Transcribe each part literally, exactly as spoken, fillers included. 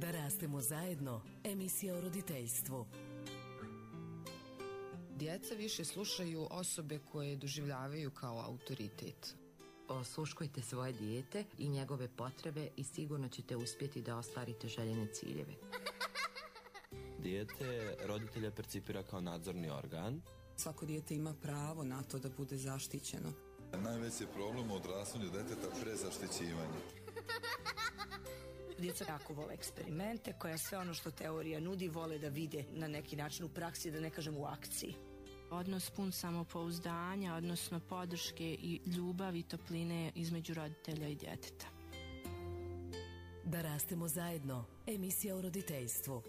Da rastemo zajedno, emisija o roditeljstvu. Djeca više slušaju osobe koje doživljavaju kao autoritet. Osluškujte svoje dijete i njegove potrebe i sigurno ćete uspjeti da ostvarite željene ciljeve. Dijete roditelja percipira kao nadzorni organ. Svako dijete ima pravo na to da bude zaštićeno. Najveći problem u odrastanju djeteta prezaštićivanje. Djeca jako vole eksperimente, koja sve ono što teorija nudi vole da vide na neki način u praksi, da ne kažem u akciji. Odnos pun samopouzdanja, odnosno podrške i ljubavi i topline između roditelja i djeteta. Da rastemo zajedno, emisija o roditeljstvu.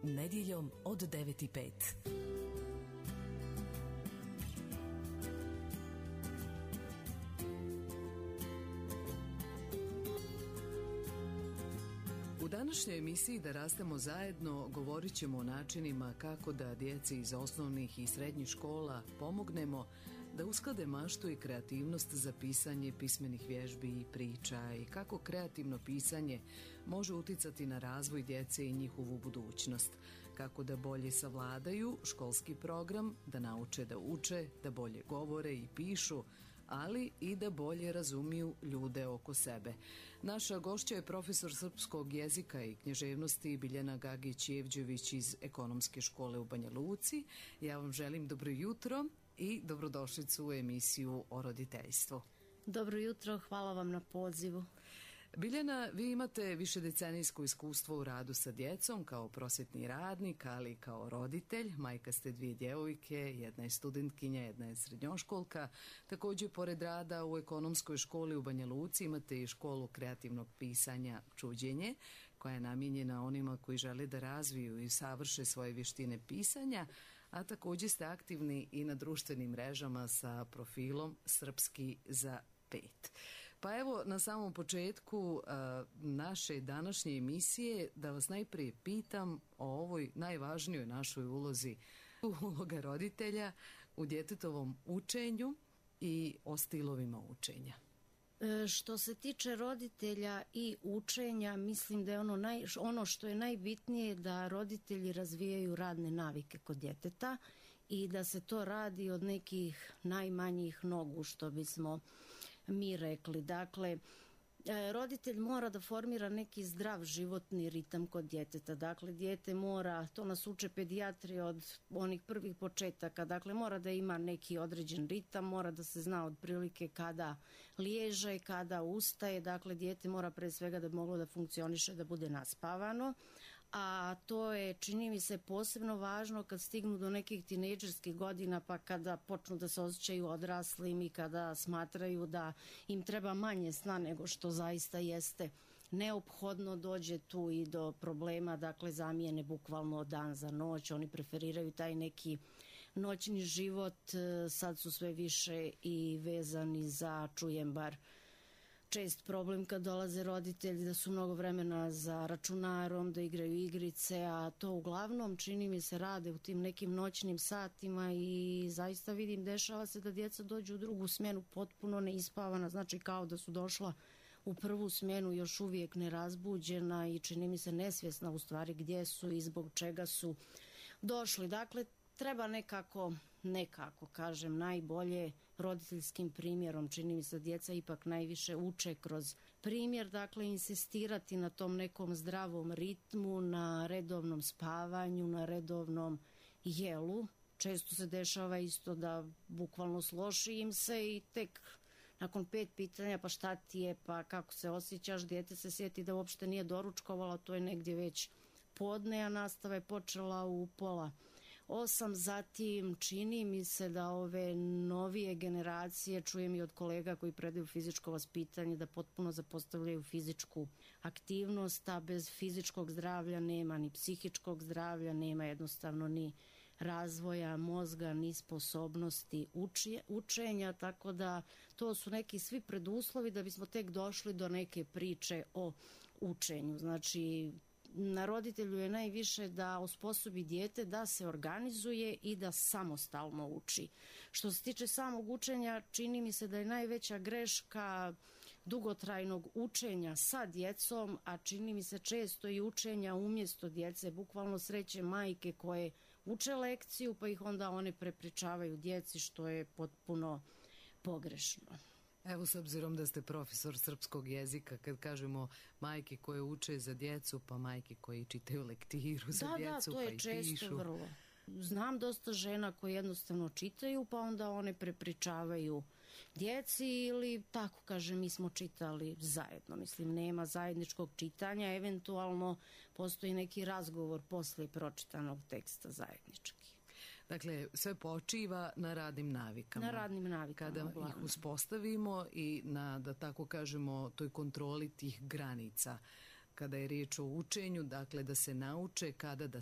Nedjeljom od devet i pet. U današnjoj emisiji Da rastemo zajedno govorit ćemo o načinima kako da djeci iz osnovnih i srednjih škola pomognemo da usklade maštu i kreativnost za pisanje pismenih vježbi i priča i kako kreativno pisanje može uticati na razvoj djece i njihovu budućnost, kako da bolje savladaju školski program, da nauče da uče, da bolje govore i pišu, ali i da bolje razumiju ljude oko sebe. Naša gošća je profesor srpskog jezika i književnosti Biljana Gagić-Jevđević iz Ekonomske škole u Banja Luci. Ja vam želim dobro jutro i dobrodošlicu u emisiju o roditeljstvu. Dobro jutro, hvala vam na pozivu. Biljana, vi imate višedecenijsko iskustvo u radu sa djecom kao prosvjetni radnik, ali i kao roditelj. Majka ste dvije djevojke, jedna je studentkinja, jedna je srednjoškolka. Također, pored rada u Ekonomskoj školi u Banja Luci imate i školu kreativnog pisanja Čuđenje, koja je namijenjena onima koji žele da razviju i savrše svoje vještine pisanja, a također ste aktivni i na društvenim mrežama sa profilom Srpski za pet. Pa evo, na samom početku uh, naše današnje emisije da vas najprije pitam o ovoj najvažnijoj našoj ulozi, uloga roditelja u djetetovom učenju i o stilovima učenja. E, što se tiče roditelja i učenja, mislim da je ono, naj, ono što je najbitnije da roditelji razvijaju radne navike kod djeteta i da se to radi od nekih najmanjih nogu, što bismo mi rekli. Dakle, roditelj mora da formira neki zdrav životni ritam kod djeteta. Dakle, dijete mora, to nas uče pedijatri od onih prvih početaka, dakle mora da ima neki određen ritam, mora da se zna otprilike kada liježe, kada ustaje, dakle dijete mora pre svega da bi moglo da funkcioniše, da bude naspavano, a to je, čini mi se, posebno važno kad stignu do nekih tinejdžerskih godina, pa kada počnu da se osjećaju odraslim i kada smatraju da im treba manje sna nego što zaista jeste neophodno, dođe tu i do problema, dakle zamijene bukvalno dan za noć, oni preferiraju taj neki noćni život, sad su sve više i vezani za, čujem bar čest problem kad dolaze roditelji da su mnogo vremena za računarom, da igraju igrice, a to uglavnom čini mi se rade u tim nekim noćnim satima i zaista vidim, dešava se da djeca dođu u drugu smjenu potpuno neispavana, znači kao da su došla u prvu smjenu još uvijek nerazbuđena i čini mi se nesvjesna u stvari gdje su i zbog čega su došli. Dakle, treba nekako, nekako kažem, najbolje roditeljskim primjerom, čini mi se djeca ipak najviše uče kroz primjer, dakle insistirati na tom nekom zdravom ritmu, na redovnom spavanju, na redovnom jelu. Često se dešava isto da bukvalno složi im se i tek nakon pet pitanja, pa šta ti je, pa kako se osjećaš, dijete se sjeti da uopšte nije doručkovalo, to je negdje već podne, a nastava je počela u pola osam. Zatim čini mi se da ove novije generacije, čujem i od kolega koji predaju fizičko vaspitanje, da potpuno zapostavljaju fizičku aktivnost, a bez fizičkog zdravlja nema ni psihičkog zdravlja, nema jednostavno ni razvoja mozga, ni sposobnosti uči, učenja, tako da to su neki svi preduslovi da bismo tek došli do neke priče o učenju. Znači, na roditelju je najviše da osposobi dijete da se organizuje i da samostalno uči. Što se tiče samog učenja, čini mi se da je najveća greška dugotrajnog učenja sa djecom, a čini mi se često i učenja umjesto djece, bukvalno sreće majke koje uče lekciju pa ih onda one prepričavaju djeci, što je potpuno pogrešno. Evo, s obzirom da ste profesor srpskog jezika, kad kažemo majke koje uče za djecu, pa majke koje čitaju lektiru za da, djecu, da, to je pa i često pišu. Vrlo. Znam dosta žena koje jednostavno čitaju, pa onda one prepričavaju djeci ili tako kaže mi smo čitali zajedno. Mislim, nema zajedničkog čitanja, eventualno postoji neki razgovor posle pročitanog teksta zajednički. Dakle, sve počiva na radnim navikama. Na radnim navikama. Kada uglavnom. ih uspostavimo i na, da tako kažemo, toj kontroli tih granica. Kada je riječ o učenju, dakle da se nauče kada, da,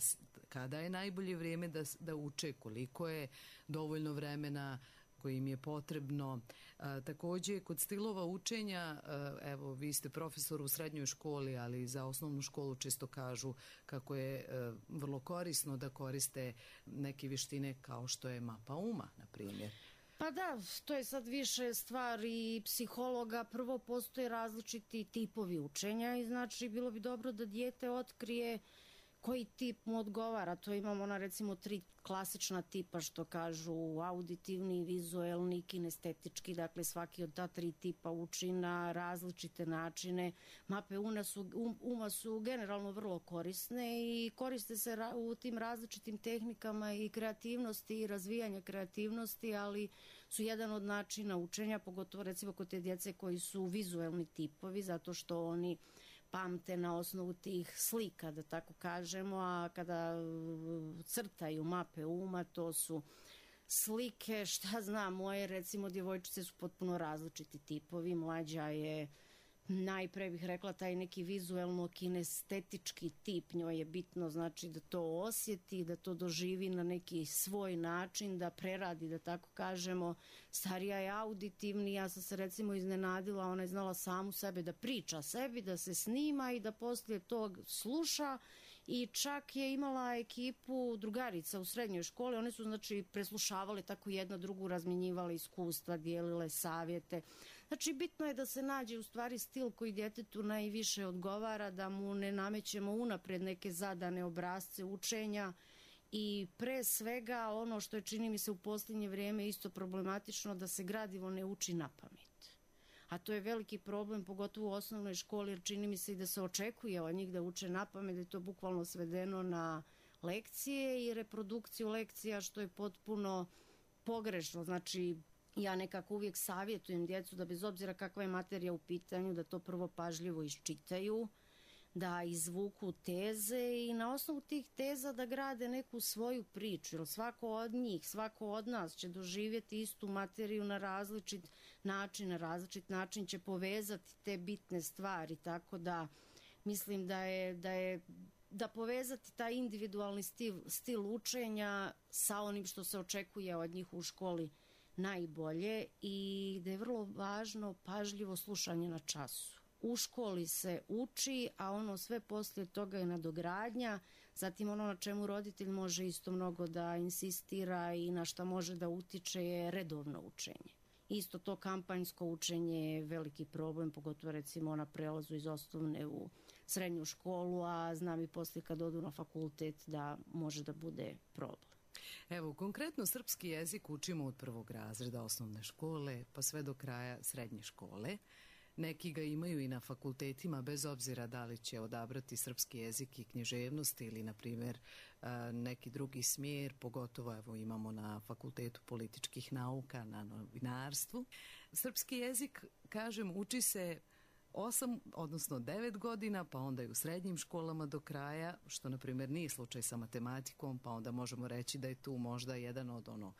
kada je najbolje vrijeme da, da uče, koliko je dovoljno vremena koje im je potrebno. A, također, kod stilova učenja, a, evo, vi ste profesor u srednjoj školi, ali za osnovnu školu često kažu kako je a, vrlo korisno da koriste neke vještine kao što je mapa uma, na primjer. Pa da, to je sad više stvar i psihologa. Prvo, postoje različiti tipovi učenja i znači bilo bi dobro da dijete otkrije koji tip mu odgovara. To imamo na recimo tri klasična tipa što kažu auditivni, vizuelni, kinestetički. Dakle, svaki od ta tri tipa uči na različite načine. Mape uma su, um, uma su generalno vrlo korisne i koriste se ra- u tim različitim tehnikama i kreativnosti i razvijanja kreativnosti, ali su jedan od načina učenja, pogotovo recimo kod te djece koji su vizuelni tipovi, zato što oni pamte na osnovu tih slika, da tako kažemo, a kada crtaju mape uma, to su slike, šta znam, moje recimo djevojčice su potpuno različiti tipovi, mlađa je najpre bih rekla taj neki vizuelno kinestetički tip, njoj je bitno znači da to osjeti, da to doživi na neki svoj način, da preradi, da tako kažemo. Starija je auditivni, ja sam se recimo iznenadila, ona je znala samu sebe da priča sebi, da se snima i da poslije tog sluša i čak je imala ekipu drugarica u srednjoj školi, one su znači preslušavale tako jedna drugu, razmjenjivale iskustva, dijelile savjete. Znači, bitno je da se nađe u stvari stil koji djetetu najviše odgovara, da mu ne namećemo unaprijed neke zadane obrasce učenja i pre svega ono što je čini mi se u posljednje vrijeme isto problematično, da se gradivo ne uči na pamet. A to je veliki problem, pogotovo u osnovnoj školi, jer čini mi se i da se očekuje od njih da uče na pamet, da je to bukvalno svedeno na lekcije i reprodukciju lekcija, što je potpuno pogrešno. Znači, ja nekako uvijek savjetujem djecu da bez obzira kakva je materija u pitanju, da to prvo pažljivo iščitaju, da izvuku teze i na osnovu tih teza da grade neku svoju priču, jer svako od njih, svako od nas će doživjeti istu materiju na različit način, na različit način će povezati te bitne stvari, tako da mislim da je, da je da povezati taj individualni stil, stil učenja sa onim što se očekuje od njih u školi najbolje i da je vrlo važno pažljivo slušanje na času. U školi se uči, a ono sve poslije toga je nadogradnja, zatim ono na čemu roditelj može isto mnogo da insistira i na šta može da utiče je redovno učenje. Isto to kampanjsko učenje je veliki problem, pogotovo recimo na prelazu iz osnovne u srednju školu, a znam i poslije kad odu na fakultet da može da bude problem. Evo, konkretno srpski jezik učimo od prvog razreda osnovne škole pa sve do kraja srednje škole. Neki ga imaju i na fakultetima, bez obzira da li će odabrati srpski jezik i književnost ili, na primjer, neki drugi smjer, pogotovo evo imamo na fakultetu političkih nauka, na novinarstvu. Srpski jezik, kažem, uči se osam, odnosno devet godina, pa onda i u srednjim školama do kraja, što na primjer nije slučaj sa matematikom, pa onda možemo reći da je tu možda jedan od ono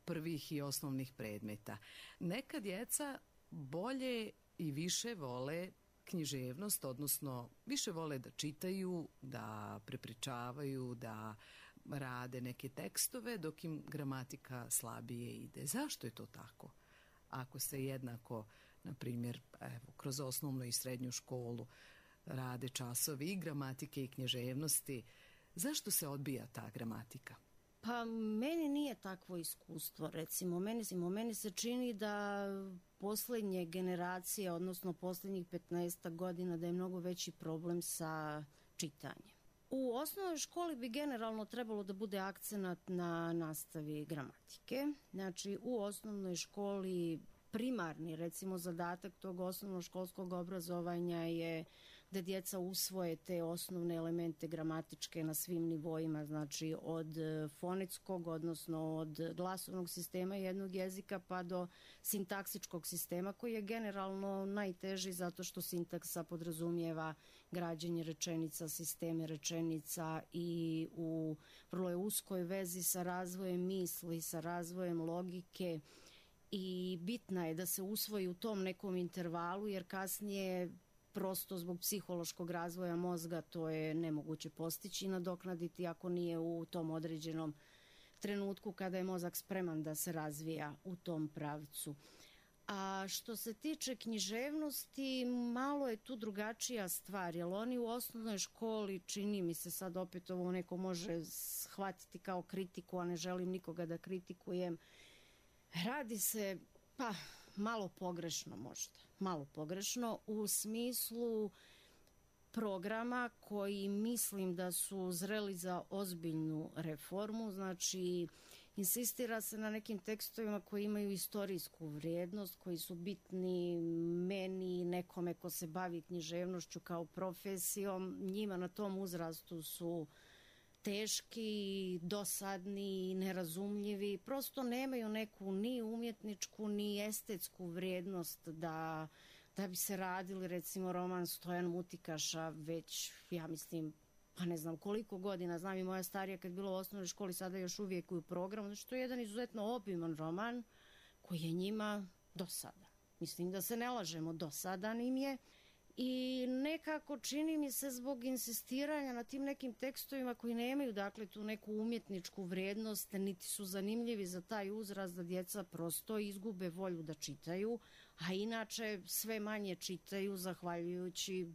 prvih i osnovnih predmeta. Neka djeca bolje i više vole književnost, odnosno više vole da čitaju, da prepričavaju, da rade neke tekstove, dok im gramatika slabije ide. Zašto je to tako? Ako se jednako, na primjer, evo, kroz osnovnu i srednju školu rade časovi i gramatike i književnosti, zašto se odbija ta gramatika? Pa meni nije takvo iskustvo, recimo. Meni, meni se čini da posljednje generacije, odnosno posljednjih petnaest godina, da je mnogo veći problem sa čitanjem. U osnovnoj školi bi generalno trebalo da bude akcenat na nastavi gramatike. Znači, u osnovnoj školi primarni, recimo, zadatak tog osnovnoškolskog obrazovanja je da djeca usvoje te osnovne elemente gramatičke na svim nivoima, znači od fonetskog, odnosno od glasovnog sistema jednog jezika pa do sintaksičkog sistema, koji je generalno najteži zato što sintaksa podrazumijeva građenje rečenica, sisteme rečenica i u vrlo je uskoj vezi sa razvojem misli, sa razvojem logike, i bitna je da se usvoji u tom nekom intervalu, jer kasnije prosto zbog psihološkog razvoja mozga to je nemoguće postići i nadoknaditi ako nije u tom određenom trenutku kada je mozak spreman da se razvija u tom pravcu. A što se tiče književnosti, malo je tu drugačija stvar, jer oni u osnovnoj školi, čini mi se, sad opet ovo neko može shvatiti kao kritiku, a ne želim nikoga da kritikujem, radi se, pa, malo pogrešno možda, malo pogrešno u smislu programa koji mislim da su zreli za ozbiljnu reformu. Znači, insistira se na nekim tekstovima koji imaju istorijsku vrijednost, koji su bitni meni, nekome ko se bavi književnošću kao profesijom. Njima na tom uzrastu su teški, dosadni, nerazumljivi, prosto nemaju neku ni umjetničku ni estetsku vrijednost da, da bi se radili, recimo, roman Stojan Mutikaša već, ja mislim, pa ne znam koliko godina, znam i moja starija kad je bila u osnovnoj školi, sada još uvijek u programu, znači to je jedan izuzetno obiman roman koji je njima dosadan. Mislim da se ne lažemo, dosadan im je. I nekako čini mi se zbog insistiranja na tim nekim tekstovima koji nemaju, dakle, tu neku umjetničku vrijednost, niti su zanimljivi za taj uzrast, da djeca prosto izgube volju da čitaju, a inače sve manje čitaju zahvaljujući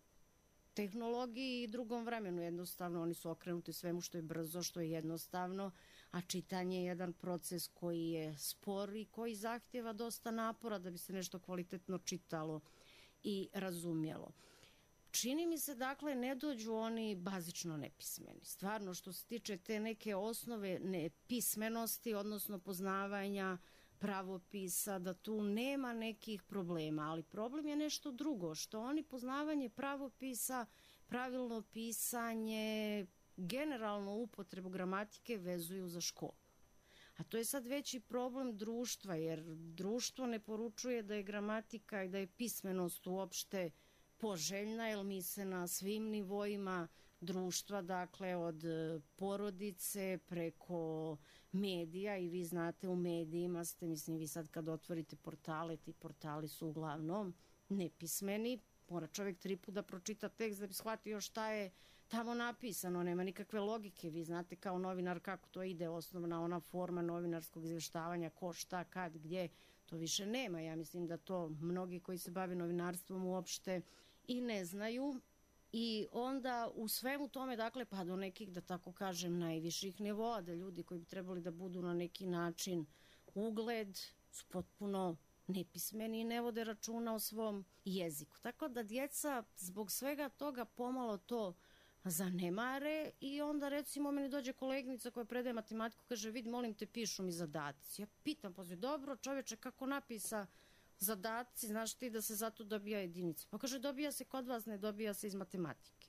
tehnologiji i drugom vremenu. Jednostavno oni su okrenuti svemu što je brzo, što je jednostavno, a čitanje je jedan proces koji je spor i koji zahtjeva dosta napora da bi se nešto kvalitetno čitalo i razumjelo. Čini mi se, dakle, ne dođu oni bazično nepismeni. Stvarno, što se tiče te neke osnove nepismenosti, odnosno poznavanja pravopisa, da tu nema nekih problema, ali problem je nešto drugo, što oni poznavanje pravopisa, pravilno pisanje, generalno upotrebu gramatike vezuju za školu. A to je sad veći problem društva, jer društvo ne poručuje da je gramatika i da je pismenost uopšte poželjna, jer mi se na svim nivoima društva, dakle od porodice preko medija, i vi znate u medijima ste, mislim, vi sad kad otvorite portale, ti portali su uglavnom nepismeni, mora čovjek tri put da pročita tekst da bi shvatio šta je tamo napisano, nema nikakve logike. Vi znate kao novinar kako to ide, osnovna ona forma novinarskog izvještavanja, ko, šta, kad, gdje, to više nema. Ja mislim da to mnogi koji se bave novinarstvom uopšte i ne znaju. I onda u svemu tome, dakle, pa do nekih, da tako kažem, najviših nivoa, da ljudi koji bi trebali da budu na neki način ugled su potpuno nepismeni i ne vode računa o svom jeziku. Tako da djeca zbog svega toga pomalo to zanemare i onda, recimo, meni dođe koleginica koja predaje matematiku, kaže, vidi, molim te, pišu mi zadaci. Ja pitam, pa dobro, čovječe, kako napisa zadaci, znaš ti da se zato dobija jedinica? Pa kaže, dobija se kod vas, ne dobija se iz matematike.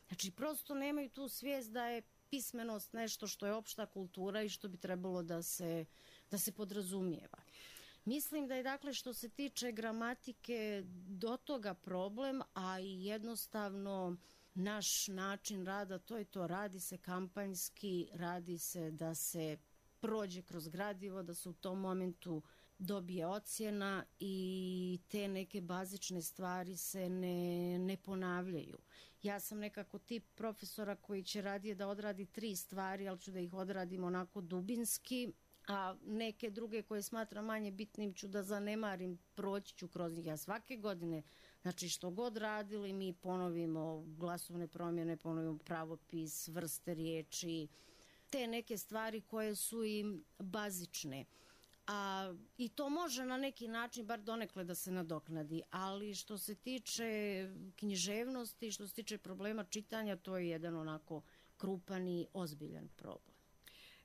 Znači, prosto nemaju tu svijest da je pismenost nešto što je opšta kultura i što bi trebalo da se, da se podrazumijeva. Mislim da je, dakle, što se tiče gramatike do toga problem, a i jednostavno naš način rada, to je to, radi se kampanjski, radi se da se prođe kroz gradivo, da se u tom momentu dobije ocjena i te neke bazične stvari se ne, ne ponavljaju. Ja sam nekako tip profesora koji će radije da odradi tri stvari, ali ću da ih odradim onako dubinski, a neke druge koje smatram manje bitnim ću da zanemarim, proći ću kroz njih. Ja svake godine, znači što god radili, mi ponovimo glasovne promjene, ponovimo pravopis, vrste riječi, te neke stvari koje su im bazične. A, i to može na neki način bar donekle da se nadoknadi, ali što se tiče književnosti, što se tiče problema čitanja, to je jedan onako krupan i ozbiljan problem.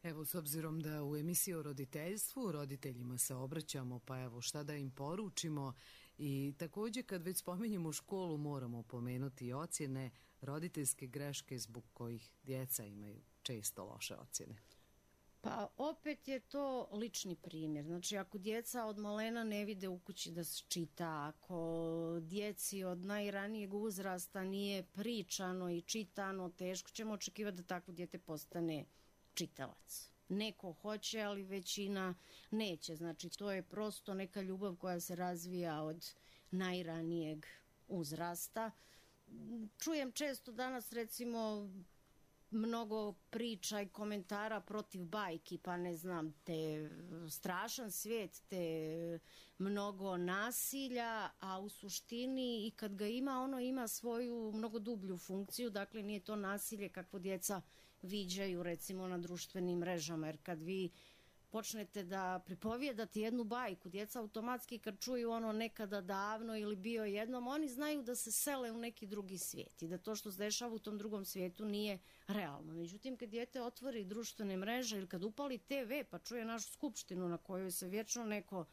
Evo, s obzirom da u emisiji o roditeljstvu roditeljima se obraćamo, pa evo šta da im poručimo, i također kad već spominjemo školu moramo pomenuti i ocjene, roditeljske greške zbog kojih djeca imaju često loše ocjene. Pa opet je to lični primjer. Znači ako djeca od malena ne vide u kući da se čita, ako djeci od najranijeg uzrasta nije pričano i čitano, teško ćemo očekivati da takvo dijete postane čitalac. Neko hoće, ali većina neće. Znači to je prosto neka ljubav koja se razvija od najranijeg uzrasta. Čujem često danas recimo mnogo priča i komentara protiv bajki, pa ne znam, te strašan svijet, te mnogo nasilja, a u suštini i kad ga ima, ono ima svoju mnogo dublju funkciju, dakle nije to nasilje kakvo djeca viđaju recimo na društvenim mrežama, jer kad vi počnete da pripovijedate jednu bajku, djeca automatski kad čuju ono nekada davno ili bio jednom, oni znaju da se sele u neki drugi svijet i da to što se dešava u tom drugom svijetu nije realno. Međutim, kad dijete otvori društvene mreže ili kad upali te ve pa čuje našu skupštinu na kojoj se vječno neko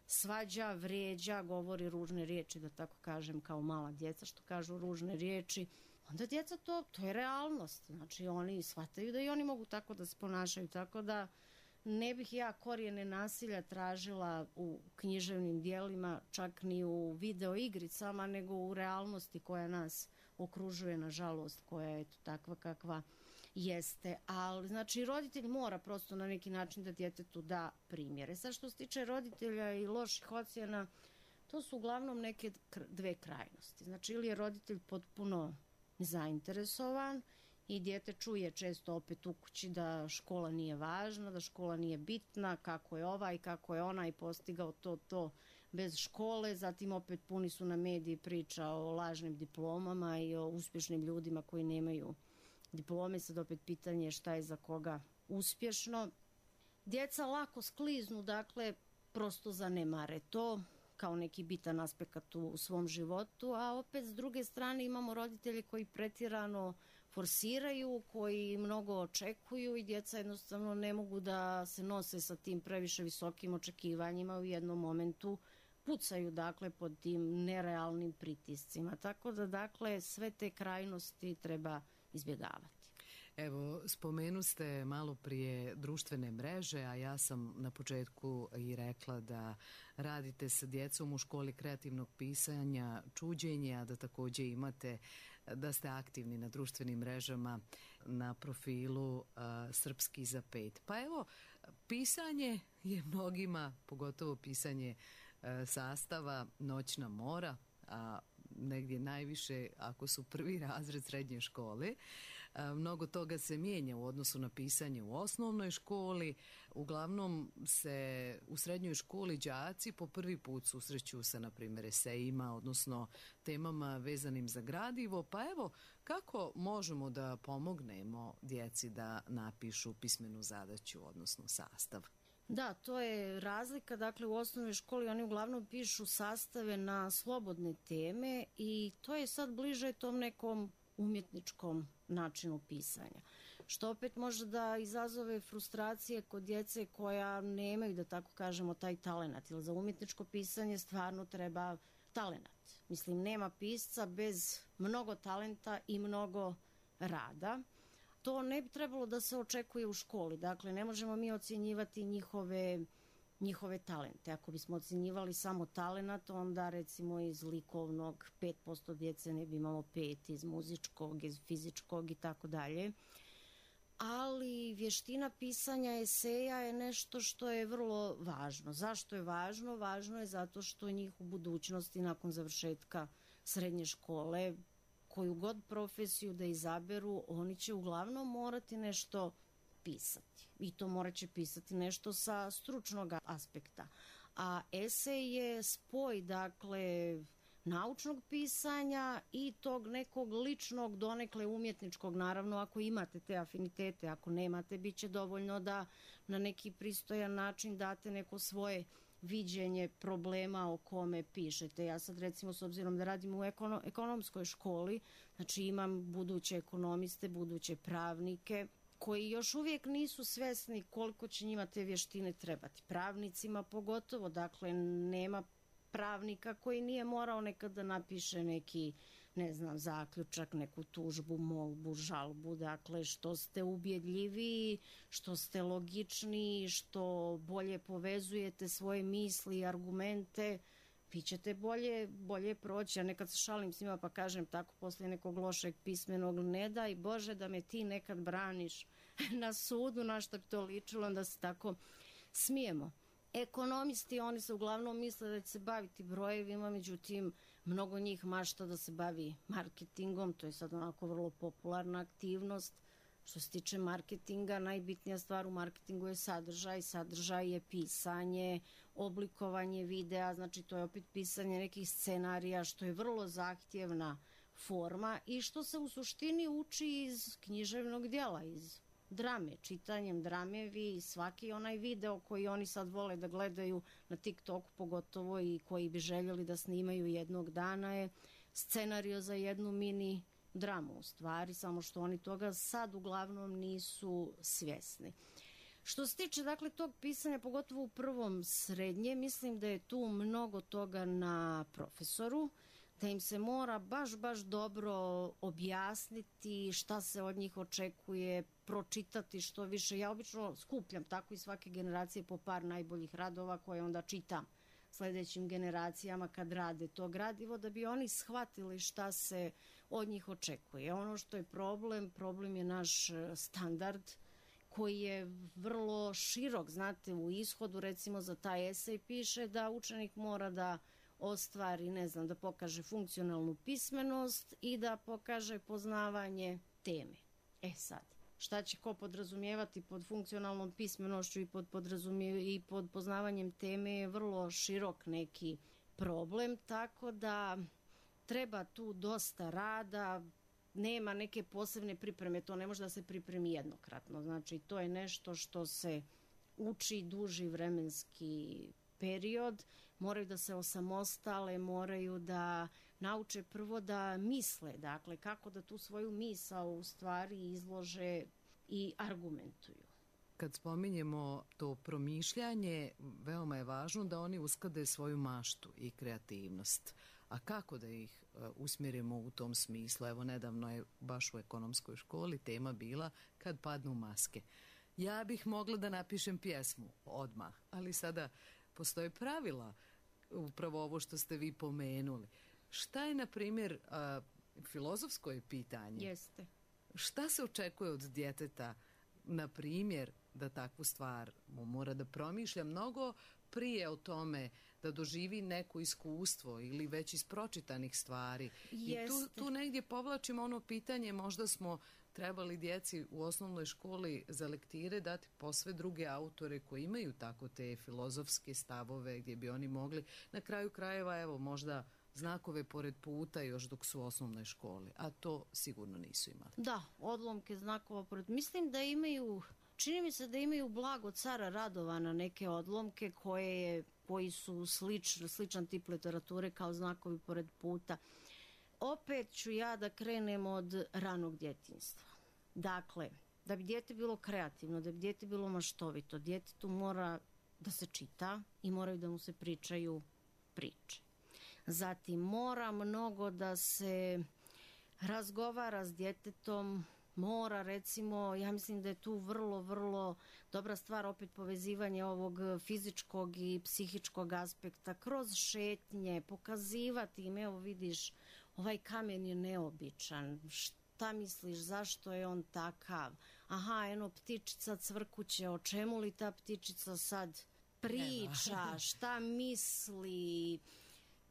svađa, vrijeđa, govori ružne riječi, da tako kažem, kao mala djeca što kažu ružne riječi, onda djeca to, to je realnost. Znači oni shvataju da i oni mogu tako da se ponašaju, tako da ne bih ja korijene nasilja tražila u književnim dijelima, čak ni u video igricama, nego u realnosti koja nas okružuje, nažalost, koja je takva kakva jeste. Ali, znači, roditelj mora prosto na neki način da djetetu da primjere. Sad što se tiče roditelja i loših ocjena, to su uglavnom neke dve krajnosti. Znači, ili je roditelj potpuno zainteresovan i dijete čuje često opet u kući da škola nije važna, da škola nije bitna, kako je ovaj, kako je onaj postigao to, to bez škole. Zatim opet puni su na mediji priča o lažnim diplomama i o uspješnim ljudima koji nemaju diplome. Sad opet pitanje šta je za koga uspješno. Djeca lako skliznu, dakle prosto zanemare to kao neki bitan aspekt u svom životu, a opet s druge strane imamo roditelje koji pretjerano forsiraju, koji mnogo očekuju i djeca jednostavno ne mogu da se nose sa tim previše visokim očekivanjima, u jednom momentu pucaju dakle pod tim nerealnim pritiscima. Tako da dakle sve te krajnosti treba izbjegavati. Evo, spomenu ste malo prije društvene mreže, a ja sam na početku i rekla da radite sa djecom u školi kreativnog pisanja, čuđenje, a da također imate, da ste aktivni na društvenim mrežama na profilu uh, Srpski za pet. Pa evo, pisanje je mnogima, pogotovo pisanje uh, sastava, noćna mora, a negdje najviše ako su prvi razred srednje škole. Mnogo toga se mijenja u odnosu na pisanje u osnovnoj školi. Uglavnom se u srednjoj školi đaci po prvi put susreću sa, na primjer, esejima, odnosno temama vezanim za gradivo. Pa evo, kako možemo da pomognemo djeci da napišu pismenu zadaću, odnosno sastav? Da, to je razlika. Dakle, u osnovnoj školi oni uglavnom pišu sastave na slobodne teme i to je sad bliže tom nekom umjetničkom načinu pisanja. Što opet može da izazove frustracije kod djece koja nemaju, da tako kažemo, taj talenat. Jer za umjetničko pisanje stvarno treba talenat. Mislim, nema pisca bez mnogo talenta i mnogo rada. To ne bi trebalo da se očekuje u školi. Dakle, ne možemo mi ocjenjivati njihove, njihove talente. Ako bismo ocjenjivali samo talenat, onda recimo iz likovnog pet posto djece ne bi imalo pet, iz muzičkog, iz fizičkog i tako dalje. Ali vještina pisanja eseja je nešto što je vrlo važno. Zašto je važno? Važno je zato što njih u budućnosti nakon završetka srednje škole, koju god profesiju da izaberu, oni će uglavnom morati nešto pisati. I to morat će pisati nešto sa stručnog aspekta. A esej je spoj, dakle, naučnog pisanja i tog nekog ličnog, donekle umjetničkog, naravno ako imate te afinitete, ako nemate, bit će dovoljno da na neki pristojan način date neko svoje viđenje problema o kome pišete. Ja sad recimo s obzirom da radim u ekono, ekonomskoj školi, znači imam buduće ekonomiste, buduće pravnike, koji još uvijek nisu svesni koliko će njima te vještine trebati. Pravnicima pogotovo, dakle nema pravnika koji nije morao nekad da napiše neki, ne znam, zaključak, neku tužbu, molbu, žalbu, dakle što ste ubjedljiviji, što ste logičniji, što bolje povezujete svoje misli i argumente, vi ćete bolje, bolje proći. Ja nekad se šalim s njima pa kažem tako poslije nekog lošeg pismenog, ne daj Bože da me ti nekad braniš na sudu, na što bi to ličilo, onda se tako smijemo. Ekonomisti, oni se uglavnom misle da će se baviti brojevima, međutim, mnogo njih mašta da se bavi marketingom, to je sad onako vrlo popularna aktivnost. Što se tiče marketinga, najbitnija stvar u marketingu je sadržaj, sadržaj je pisanje, oblikovanje videa, znači to je opet pisanje nekih scenarija, što je vrlo zahtjevna forma i što se u suštini uči iz književnog djela, iz drame, čitanjem drame. Vi svaki onaj video koji oni sad vole da gledaju na TikToku pogotovo i koji bi željeli da snimaju jednog dana je scenario za jednu mini dramu u stvari, samo što oni toga sad uglavnom nisu svjesni. Što se tiče dakle tog pisanja, pogotovo u prvom srednje, mislim da je tu mnogo toga na profesoru, da im se mora baš, baš dobro objasniti šta se od njih očekuje, pročitati što više. Ja obično skupljam tako i svake generacije po par najboljih radova koje onda čitam sljedećim generacijama kad rade to gradivo, da bi oni shvatili šta se od njih očekuje. Ono što je problem, problem je naš standard koji je vrlo širok. Znate, u ishodu recimo za taj esej piše da učenik mora da ostvari, ne znam, da pokaže funkcionalnu pismenost i da pokaže poznavanje teme. E sad, šta će ko podrazumijevati pod funkcionalnom pismenošću i pod, i pod poznavanjem teme je vrlo širok neki problem, tako da treba tu dosta rada, nema neke posebne pripreme, to ne može da se pripremi jednokratno, znači to je nešto što se uči duži vremenski period, moraju da se osamostale, moraju da nauče prvo da misle, dakle kako da tu svoju misao u stvari izlože i argumentuju. Kad spominjemo to promišljanje, veoma je važno da oni usklade svoju maštu i kreativnost. A kako da ih uh, usmjerimo u tom smislu? Evo, nedavno je baš u ekonomskoj školi tema bila kad padnu maske. Ja bih mogla da napišem pjesmu odmah, ali sada postoje pravila, upravo ovo što ste vi pomenuli. Šta je, na primjer, uh, filozofsko je pitanje? Jeste. Šta se očekuje od djeteta, na primjer, da takvu stvar mora da promišlja mnogo prije o tome, da doživi neko iskustvo ili već iz pročitanih stvari. Jeste. I tu, tu negdje povlačimo ono pitanje, možda smo trebali djeci u osnovnoj školi za lektire dati posve druge autore koji imaju tako te filozofske stavove gdje bi oni mogli, na kraju krajeva, evo, možda znakove pored puta još dok su u osnovnoj školi, a to sigurno nisu imali. Da, odlomke znakova pored. Mislim da imaju, čini mi se da imaju Blago cara Radovana neke odlomke koje je, koji su sličan, sličan tip literature kao znakovi pored puta. Opet ću ja da krenem od ranog djetinjstva. Dakle, da bi dijete bilo kreativno, da bi dijete bilo maštovito, djetetu mora da se čita i moraju da mu se pričaju priče. Zatim mora mnogo da se razgovara s djetetom, mora recimo, ja mislim da je tu vrlo, vrlo dobra stvar opet povezivanje ovog fizičkog i psihičkog aspekta kroz šetnje, pokazivati im, evo vidiš, ovaj kamen je neobičan, šta misliš, zašto je on takav, aha, eno ptičica cvrkuće, o čemu li ta ptičica sad priča, šta misli.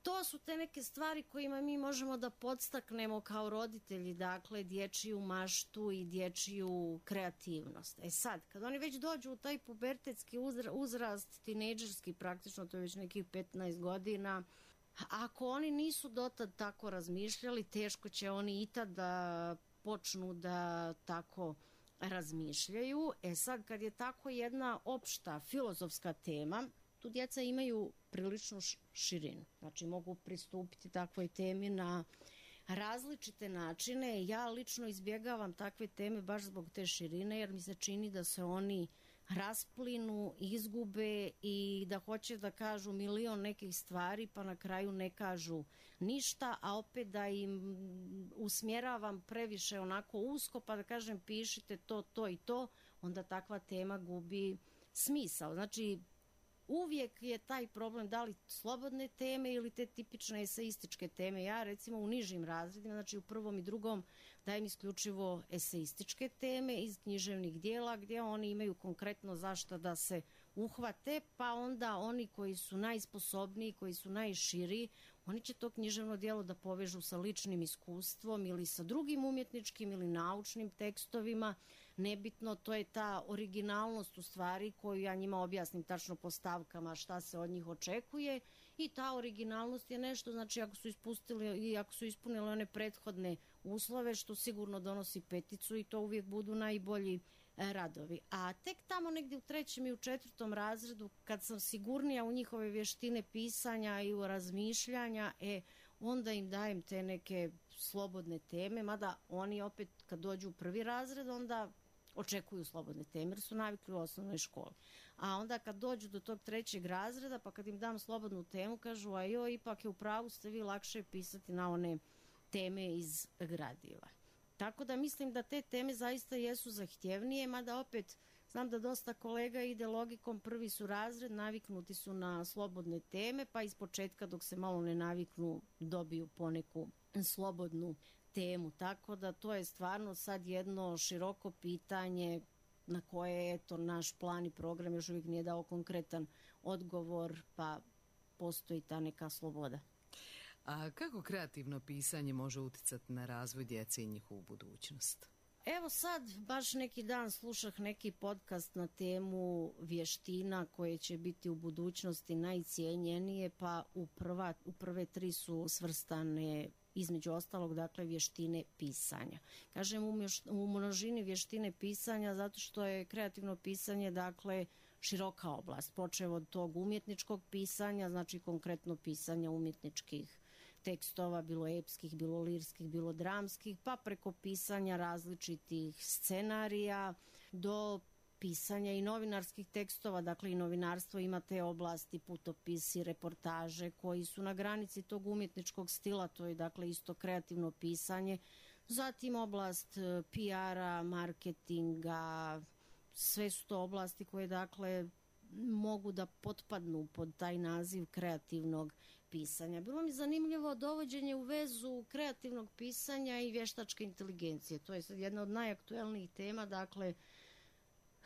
To su te neke stvari kojima mi možemo da podstaknemo kao roditelji, dakle, dječju maštu i dječju kreativnost. E sad, kad oni već dođu u taj pubertetski uzrast, tinejdžerski praktično, to je već nekih petnaest godina, Ako oni nisu dotad tako razmišljali, teško će oni i tad da počnu da tako razmišljaju. E sad, kad je tako jedna opšta filozofska tema, tu djeca imaju priličnu širinu. Znači, mogu pristupiti takvoj temi na različite načine. Ja lično izbjegavam takve teme baš zbog te širine, jer mi se čini da se oni rasplinu, izgube i da hoće da kažu milion nekih stvari, pa na kraju ne kažu ništa, a opet da im usmjeravam previše onako usko, pa da kažem pišite to, to i to, onda takva tema gubi smisao. Znači, uvijek je taj problem da li slobodne teme ili te tipične eseističke teme. Ja recimo u nižim razredima, znači u prvom i drugom, dajem isključivo eseističke teme iz književnih dijela gdje oni imaju konkretno zašto da se uhvate, pa onda oni koji su najsposobniji, koji su najširi, oni će to književno djelo da povežu sa ličnim iskustvom ili sa drugim umjetničkim ili naučnim tekstovima. Nebitno, to je ta originalnost u stvari koju ja njima objasnim tačno po stavkama šta se od njih očekuje, i ta originalnost je nešto, znači ako su ispustili i ako su ispunili one prethodne uslove, što sigurno donosi peticu i to uvijek budu najbolji radovi. A tek tamo negdje u trećem i u četvrtom razredu, kad sam sigurnija u njihove vještine pisanja i u razmišljanja, e, onda im dajem te neke slobodne teme, mada oni opet kad dođu u prvi razred, onda očekuju slobodne teme, jer su navikli u osnovnoj školi. A onda kad dođu do tog trećeg razreda, pa kad im dam slobodnu temu, kažu, a joj, ipak je u pravu, ste vi lakše pisati na one teme iz gradiva. Tako da mislim da te teme zaista jesu zahtjevnije, mada opet znam da dosta kolega ide logikom, prvi su razred, naviknuti su na slobodne teme, pa iz početka dok se malo ne naviknu dobiju poneku slobodnu temu. Tako da to je stvarno sad jedno široko pitanje na koje eto naš plan i program još uvijek nije dao konkretan odgovor, pa postoji ta neka sloboda. A kako kreativno pisanje može uticati na razvoj djece i njihovu budućnost? Evo sad, baš neki dan slušah neki podcast na temu vještina koje će biti u budućnosti najcijenjenije, pa u, prva, u prve tri su svrstane između ostalog, dakle, vještine pisanja. Kažem u, mješ, u množini vještine pisanja zato što je kreativno pisanje, dakle, široka oblast. Počev od tog umjetničkog pisanja, znači konkretno pisanja umjetničkih tekstova, bilo epskih, bilo lirskih, bilo dramskih, pa preko pisanja različitih scenarija do pisanja i novinarskih tekstova, dakle i novinarstvo ima te oblasti, putopisi, reportaže koji su na granici tog umjetničkog stila, to je dakle isto kreativno pisanje. Zatim oblast P R-a, marketinga, sve su to oblasti koje dakle mogu da potpadnu pod taj naziv kreativnog pisanja. Bilo mi zanimljivo dovođenje u vezu kreativnog pisanja i vještačke inteligencije. To je sad jedna od najaktuelnijih tema, dakle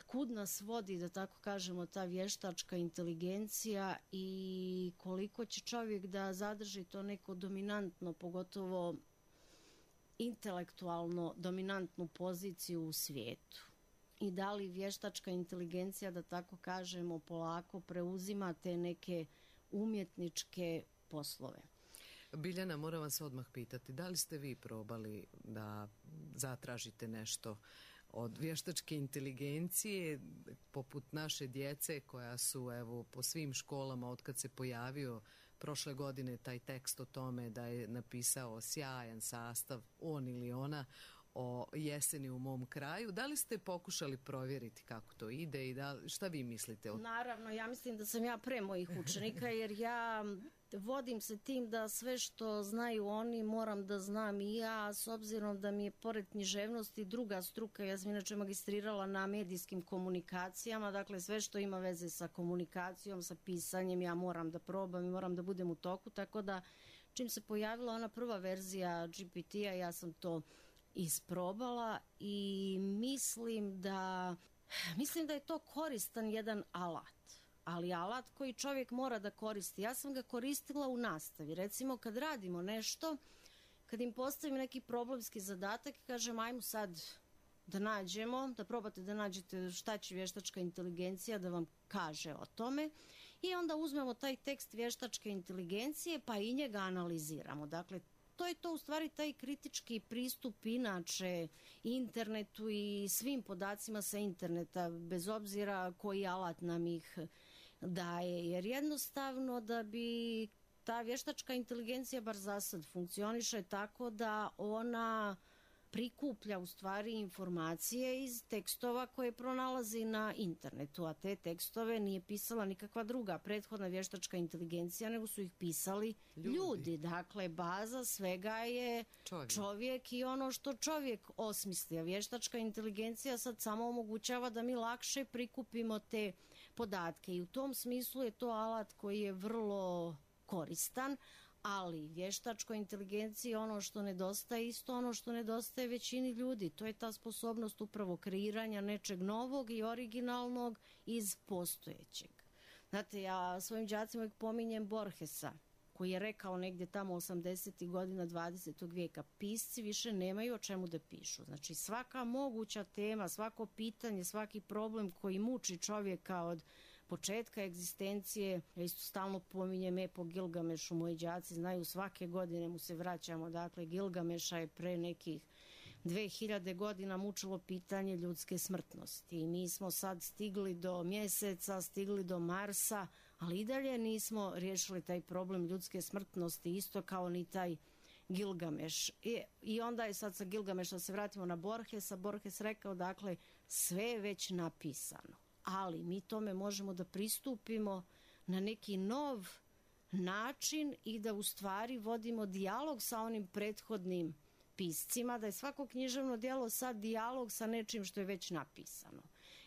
kud nas vodi, da tako kažemo, ta vještačka inteligencija i koliko će čovjek da zadrži to neko dominantno, pogotovo intelektualno dominantnu poziciju u svijetu. I da li vještačka inteligencija, da tako kažemo, polako preuzima te neke umjetničke poslove. Biljana, moram vas odmah pitati, da li ste vi probali da zatražite nešto od vještačke inteligencije poput naše djece koja su evo po svim školama otkad se pojavio prošle godine taj tekst o tome da je napisao sjajan sastav on ili ona o jeseni u mom kraju. Da li ste pokušali provjeriti kako to ide i da, šta vi mislite o... Naravno, ja mislim da sam ja pre mojih učenika jer ja vodim se tim da sve što znaju oni moram da znam i ja, s obzirom da mi je pored književnosti druga struka, ja sam inače magistrirala na medijskim komunikacijama, dakle sve što ima veze sa komunikacijom, sa pisanjem, ja moram da probam i moram da budem u toku, tako da čim se pojavila ona prva verzija G P T-a, ja sam to isprobala i mislim da mislim da je to koristan jedan alat, ali alat koji čovjek mora da koristi. Ja sam ga koristila u nastavi, recimo kad radimo nešto, kad im postavim neki problemski zadatak i kažem ajmo sad da nađemo, da probate da nađete šta će vještačka inteligencija da vam kaže o tome i onda uzmemo taj tekst vještačke inteligencije pa i njega analiziramo. Dakle, to je to u stvari taj kritički pristup inače internetu i svim podacima sa interneta, bez obzira koji alat nam ih daje. Jer jednostavno da bi ta vještačka inteligencija, bar za sad, funkcioniše tako da ona prikuplja u stvari informacije iz tekstova koje pronalazi na internetu, a te tekstove nije pisala nikakva druga prethodna vještačka inteligencija, nego su ih pisali ljudi. ljudi. Dakle, baza svega je čovjek. čovjek i ono što čovjek osmisli. A vještačka inteligencija sad samo omogućava da mi lakše prikupimo te podatke i u tom smislu je to alat koji je vrlo koristan, ali vještačkoj inteligenciji ono što nedostaje, isto ono što nedostaje većini ljudi, to je ta sposobnost upravo kreiranja nečeg novog i originalnog iz postojećeg. Znate, ja svojim đacima uvijek pominjem Borgesa, koji je rekao negdje tamo osamdesetih godina dvadesetog vijeka, pisci više nemaju o čemu da pišu. Znači svaka moguća tema, svako pitanje, svaki problem koji muči čovjeka od početka egzistencije, ja isto stalno pominjem epo Gilgamešu, moji đaci znaju, svake godine mu se vraćamo, dakle Gilgameša je pre nekih dve hiljade godina mučilo pitanje ljudske smrtnosti i mi smo sad stigli do mjeseca, stigli do Marsa, ali i dalje nismo riješili taj problem ljudske smrtnosti, isto kao ni taj Gilgameš. I, i onda je sad sa Gilgameša se vratimo na Borgesa, Borges rekao, dakle, sve je već napisano, ali mi tome možemo da pristupimo na neki nov način i da u stvari vodimo dijalog sa onim prethodnim piscima, da je svako književno djelo sad dijalog sa nečim što je već napisano.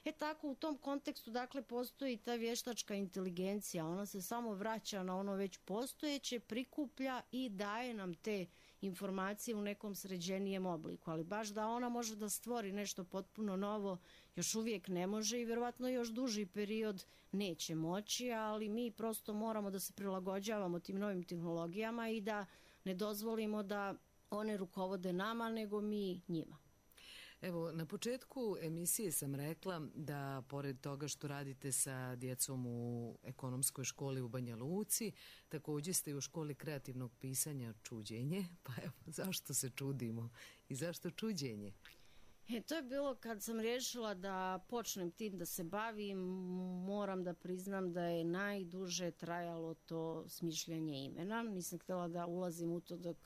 E tako u tom kontekstu dakle postoji ta vještačka inteligencija, ona se samo vraća na ono već postojeće, prikuplja i daje nam te informacije u nekom sređenijem obliku, ali baš da ona može da stvori nešto potpuno novo još uvijek ne može i vjerovatno još duži period neće moći, ali mi prosto moramo da se prilagođavamo tim novim tehnologijama i da ne dozvolimo da one rukovode nama, nego mi njima. Evo, na početku emisije sam rekla da pored toga što radite sa djecom u ekonomskoj školi u Banja Luci, također ste i u školi kreativnog pisanja Čuđenje, pa evo, zašto se čudimo i zašto Čuđenje? E, to je bilo kad sam riješila da počnem tim da se bavim, moram da priznam da je najduže trajalo to smišljanje imena. Nisam htjela da ulazim u to dok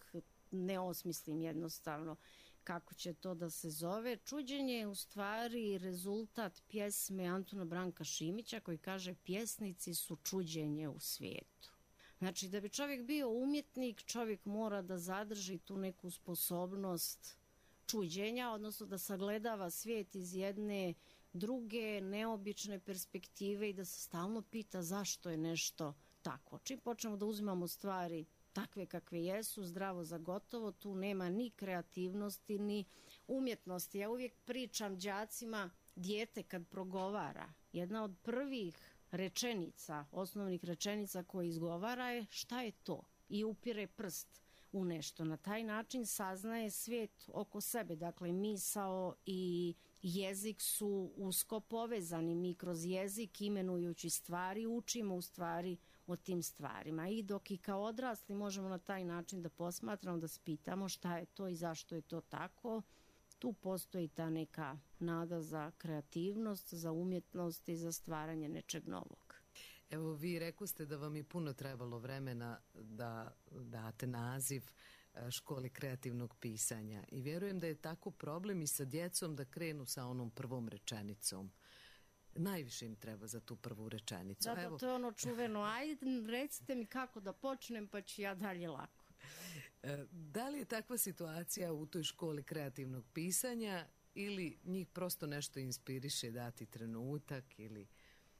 ne osmislim jednostavno kako će to da se zove. Čuđenje je u stvari rezultat pjesme Antuna Branka Šimića koji kaže pjesnici su čuđenje u svijetu. Znači da bi čovjek bio umjetnik, čovjek mora da zadrži tu neku sposobnost čuđenja, odnosno da sagledava svijet iz jedne druge, neobične perspektive i da se stalno pita zašto je nešto tako. Čim počnemo da uzimamo stvari takve kakve jesu, zdravo za gotovo, tu nema ni kreativnosti, ni umjetnosti. Ja uvijek pričam đacima, dijete kad progovara, jedna od prvih rečenica, osnovnih rečenica koje izgovara je šta je to i upire prst u nešto. Na taj način saznaje svijet oko sebe. Dakle, misao i jezik su usko povezani. Mi kroz jezik, imenujući stvari, učimo u stvari o tim stvarima. I dok i kao odrasli možemo na taj način da posmatramo, da spitamo šta je to i zašto je to tako, tu postoji ta neka nada za kreativnost, za umjetnost i za stvaranje nečeg novog. Evo, vi rekoste da vam je puno trebalo vremena da date naziv školi kreativnog pisanja i vjerujem da je tako problem i sa djecom da krenu sa onom prvom rečenicom. Najviše im treba za tu prvu rečenicu. Da, Evo. To je ono čuveno, ajde recite mi kako da počnem pa ću ja dalje lako. Da li je takva situacija u toj školi kreativnog pisanja ili njih prosto nešto inspiriše dati trenutak ili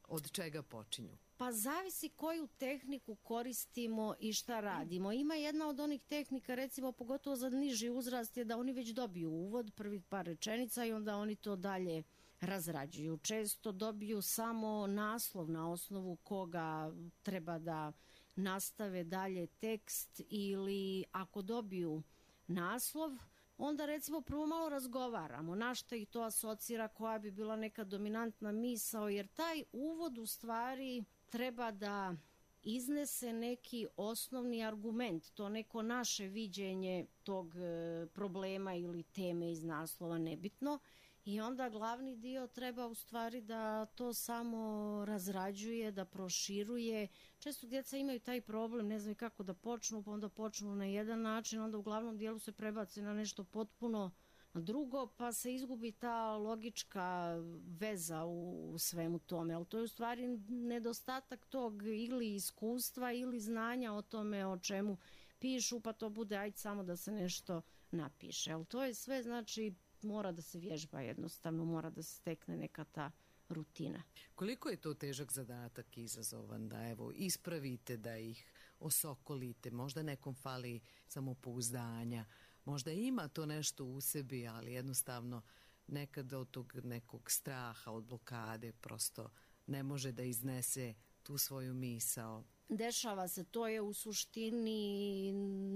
od čega počinju? Pa zavisi koju tehniku koristimo i šta radimo. Ima jedna od onih tehnika, recimo pogotovo za niži uzrast, je da oni već dobiju uvod, prvih par rečenica i onda oni to dalje razrađuju. Često dobiju samo naslov na osnovu koga treba da nastave dalje tekst ili ako dobiju naslov, onda recimo prvo malo razgovaramo na šta ih to asocira, koja bi bila neka dominantna misao, jer taj uvod u stvari treba da iznese neki osnovni argument, to neko naše viđenje tog e, problema ili teme iz naslova, nebitno, i onda glavni dio treba u stvari da to samo razrađuje, da proširuje. Često djeca imaju taj problem, ne znaju kako da počnu, pa onda počnu na jedan način, onda u glavnom dijelu se prebace na nešto potpuno drugo, pa se izgubi ta logička veza u, u svemu tome. Ali to je u stvari nedostatak tog ili iskustva ili znanja o tome o čemu pišu, pa to bude ajde samo da se nešto napiše. Ali to je sve, znači, mora da se vježba jednostavno, mora da se stekne neka ta rutina. Koliko je to težak zadatak i izazovan da evo ispravite, da ih osokolite, možda nekom fali samopouzdanja, možda ima to nešto u sebi, ali jednostavno nekada od tog nekog straha, od blokade prosto ne može da iznese tu svoju misao. Dešava se, to je u suštini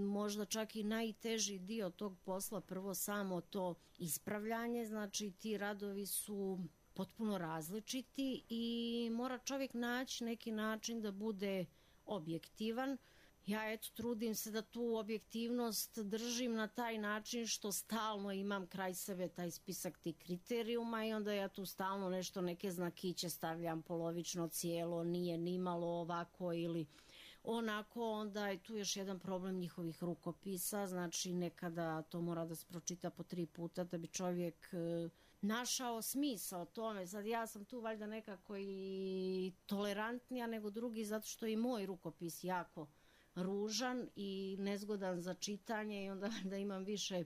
možda čak i najteži dio tog posla, prvo samo to ispravljanje, znači ti radovi su potpuno različiti i mora čovjek naći neki način da bude objektivan. Ja eto trudim se da tu objektivnost držim na taj način što stalno imam kraj sebe taj spisak tih kriterijuma i onda ja tu stalno nešto, neke znakiće stavljam polovično, cijelo, nije nimalo ovako ili onako. Onda je tu još jedan problem njihovih rukopisa, znači nekada to mora da se pročita po tri puta da bi čovjek e, našao smisao tome. Sad ja sam tu valjda nekako i tolerantnija nego drugi zato što je i moj rukopis jako ružan i nezgodan za čitanje i onda da imam više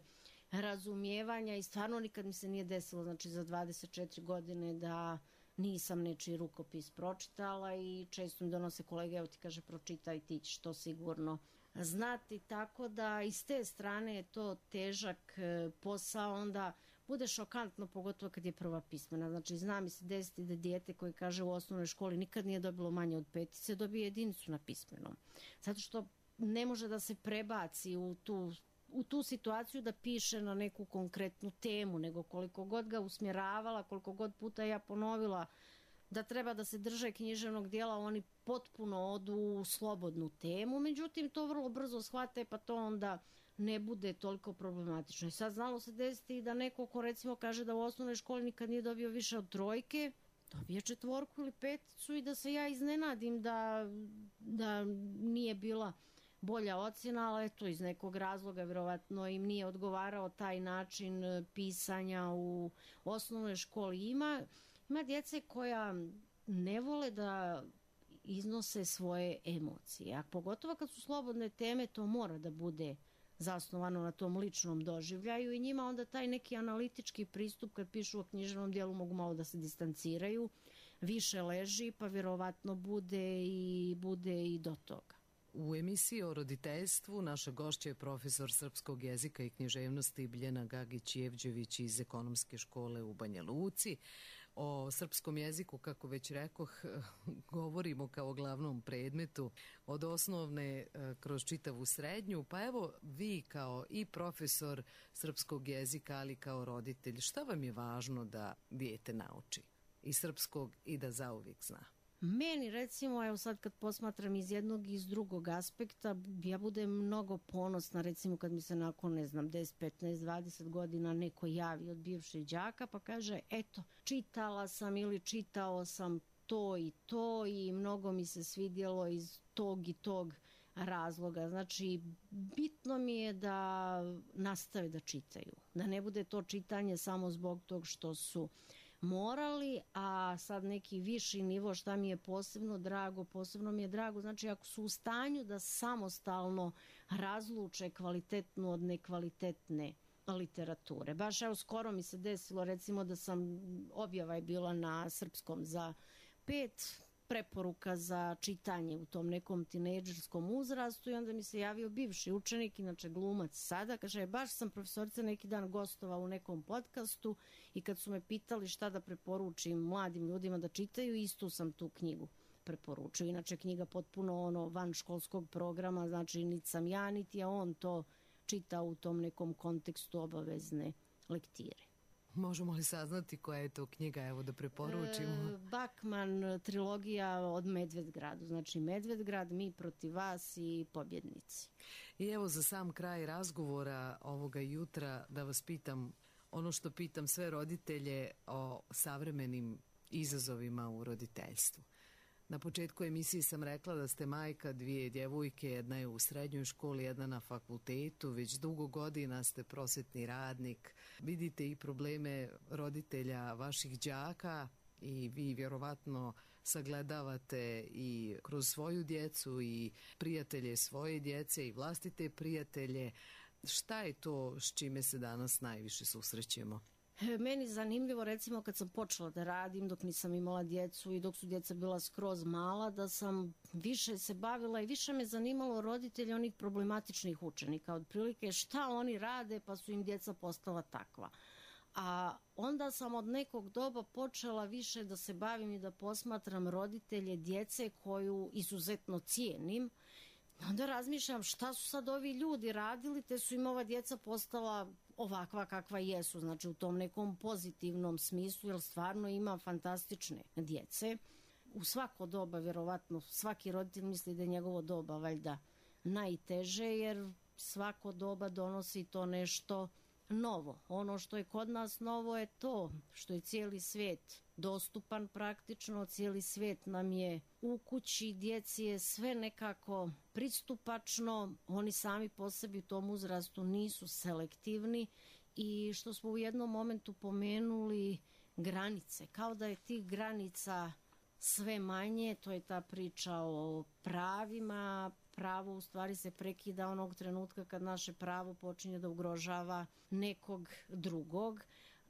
razumijevanja i stvarno nikad mi se nije desilo, znači za dvadeset četiri godine da nisam nečiji rukopis pročitala i često mi donose kolege, evo ti kaže pročitaj, ti ćeš to sigurno znati, tako da iz te strane je to težak posao, onda bude šokantno, pogotovo kad je prva pismena. Znači, zna mi se desiti da dijete koje kaže u osnovnoj školi nikad nije dobilo manje od petice, dobije jedinicu na pismenom. Zato što ne može da se prebaci u tu, u tu situaciju da piše na neku konkretnu temu, nego koliko god ga usmjeravala, koliko god puta ja ponovila da treba da se drže književnog dijela, oni potpuno odu u slobodnu temu. Međutim, to vrlo brzo shvate, pa to onda ne bude toliko problematično. I sad znalo se desiti da neko ko recimo kaže da u osnovnoj školi nikad nije dobio više od trojke, dobije četvorku ili peticu i da se ja iznenadim da, da nije bila bolja ocjena, ali eto iz nekog razloga vjerovatno im nije odgovarao taj način pisanja u osnovnoj školi. Ima, ima djece koja ne vole da iznose svoje emocije, a pogotovo kad su slobodne teme to mora da bude zasnovano na tom ličnom doživljaju i njima onda taj neki analitički pristup kad pišu o književnom dijelu mogu malo da se distanciraju, više leži pa vjerovatno bude i, bude i do toga. U emisiji o roditeljstvu naša gošća je profesor srpskog jezika i književnosti Biljana Gagić-Jevđević iz Ekonomske škole u Banja Luci. O srpskom jeziku, kako već rekoh, govorimo kao glavnom predmetu od osnovne kroz čitavu srednju. Pa evo vi kao i profesor srpskog jezika, ali kao roditelj, šta vam je važno da dijete nauči i srpskog i da zauvijek zna? Meni recimo, evo sad kad posmatram iz jednog i iz drugog aspekta, ja budem mnogo ponosna recimo kad mi se nakon, ne znam, deset, petnaest, dvadeset godina neko javi od bivših đaka pa kaže eto, čitala sam ili čitao sam to i to i mnogo mi se svidjelo iz tog i tog razloga. Znači, bitno mi je da nastave da čitaju, da ne bude to čitanje samo zbog tog što su morali, a sad neki viši nivo šta mi je posebno drago, posebno mi je drago, znači ako su u stanju da samostalno razluče kvalitetnu od nekvalitetne literature. Baš evo skoro mi se desilo recimo da sam, objava je bila na srpskom za pet preporuka za čitanje u tom nekom tinejdžerskom uzrastu i onda mi se javio bivši učenik, inače glumac sada, kaže baš sam profesorica neki dan gostovao u nekom podcastu i kad su me pitali šta da preporučim mladim ljudima da čitaju, istu sam tu knjigu preporučio. Inače knjiga potpuno ono van školskog programa, znači niti sam ja niti je on to čitao u tom nekom kontekstu obavezne lektire. Možemo li saznati koja je to knjiga, evo da preporučimo? E, Bakman trilogija od Medvedgradu, znači Medvedgrad, Mi protiv vas i Pobjednici. I evo za sam kraj razgovora ovoga jutra da vas pitam ono što pitam sve roditelje o savremenim izazovima u roditeljstvu. Na početku emisije sam rekla da ste majka dvije djevojke, jedna je u srednjoj školi, jedna na fakultetu, već dugo godina ste prosvetni radnik, vidite i probleme roditelja vaših đaka i vi vjerovatno sagledavate i kroz svoju djecu i prijatelje svoje djece i vlastite prijatelje. Šta je to s čime se danas najviše susrećemo? Meni zanimljivo, recimo kad sam počela da radim dok nisam imala djecu i dok su djeca bila skroz mala, da sam više se bavila i više me zanimalo roditelji onih problematičnih učenika, otprilike šta oni rade pa su im djeca postala takva. A onda sam od nekog doba počela više da se bavim i da posmatram roditelje djece koju izuzetno cijenim. Onda razmišljam šta su sad ovi ljudi radili, te su im ova djeca postala ovakva kakva jesu, znači u tom nekom pozitivnom smislu, jer stvarno ima fantastične djece. U svako doba, vjerovatno, svaki roditelj misli da je njegovo doba valjda najteže, jer svako doba donosi to nešto novo. Ono što je kod nas novo je to što je cijeli svijet dostupan praktično, cijeli svijet nam je u kući, djeci je sve nekako pristupačno, oni sami po sebi u tom uzrastu nisu selektivni i što smo u jednom momentu pomenuli granice, kao da je tih granica sve manje, to je ta priča o pravima. Pravo u stvari se prekida onog trenutka kad naše pravo počinje da ugrožava nekog drugog.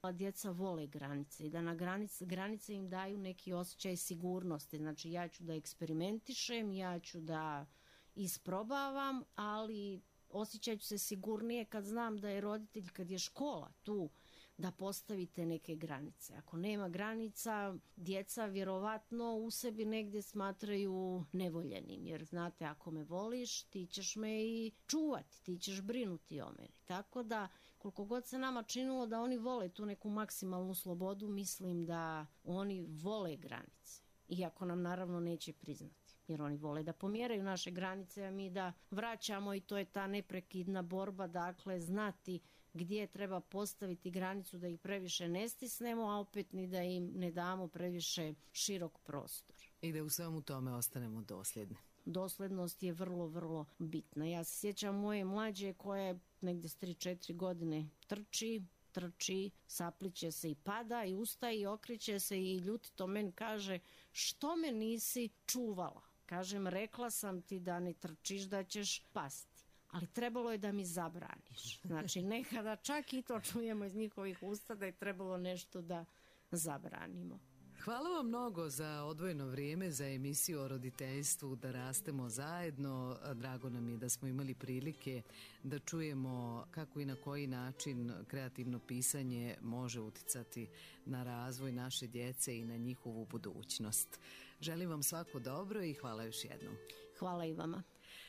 A djeca vole granice i da na granice, granice im daju neki osjećaj sigurnosti. Znači ja ću da eksperimentišem, ja ću da isprobavam, ali osjećat ću se sigurnije kad znam da je roditelj, kad je škola tu, da postavite neke granice. Ako nema granica, djeca vjerovatno u sebi negdje smatraju nevoljenim, jer znate, ako me voliš, ti ćeš me i čuvati, ti ćeš brinuti o meni. Tako da, koliko god se nama činilo da oni vole tu neku maksimalnu slobodu, mislim da oni vole granice. Iako nam naravno neće priznati, jer oni vole da pomjeraju naše granice, a mi da vraćamo, i to je ta neprekidna borba, dakle, znati gdje treba postaviti granicu da ih previše ne stisnemo, a opet ni da im ne damo previše širok prostor. I da u svemu tome ostanemo dosljedni. Doslednost je vrlo, vrlo bitna. Ja se sjećam moje mlađe koje negdje s tri četiri godine trči, trči, sapliće se i pada i ustaje i okreće se i ljutito meni kaže: što me nisi čuvala? Kažem, rekla sam ti da ne trčiš, da ćeš pasti. Ali trebalo je da mi zabraniš. Znači, nekada čak i to čujemo iz njihovih usta da je trebalo nešto da zabranimo. Hvala vam mnogo za odvojeno vrijeme, za emisiju o roditeljstvu Da rastemo zajedno. Drago nam je da smo imali prilike da čujemo kako i na koji način kreativno pisanje može uticati na razvoj naše djece i na njihovu budućnost. Želim vam svako dobro i hvala još jednom. Hvala i vama.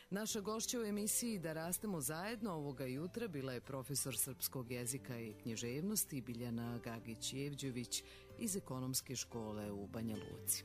Naša gošća u emisiji Da rastemo zajedno ovoga jutra bila je profesor srpskog jezika i književnosti Biljana Gagić-Jevđević iz Ekonomske škole u Banja Luci.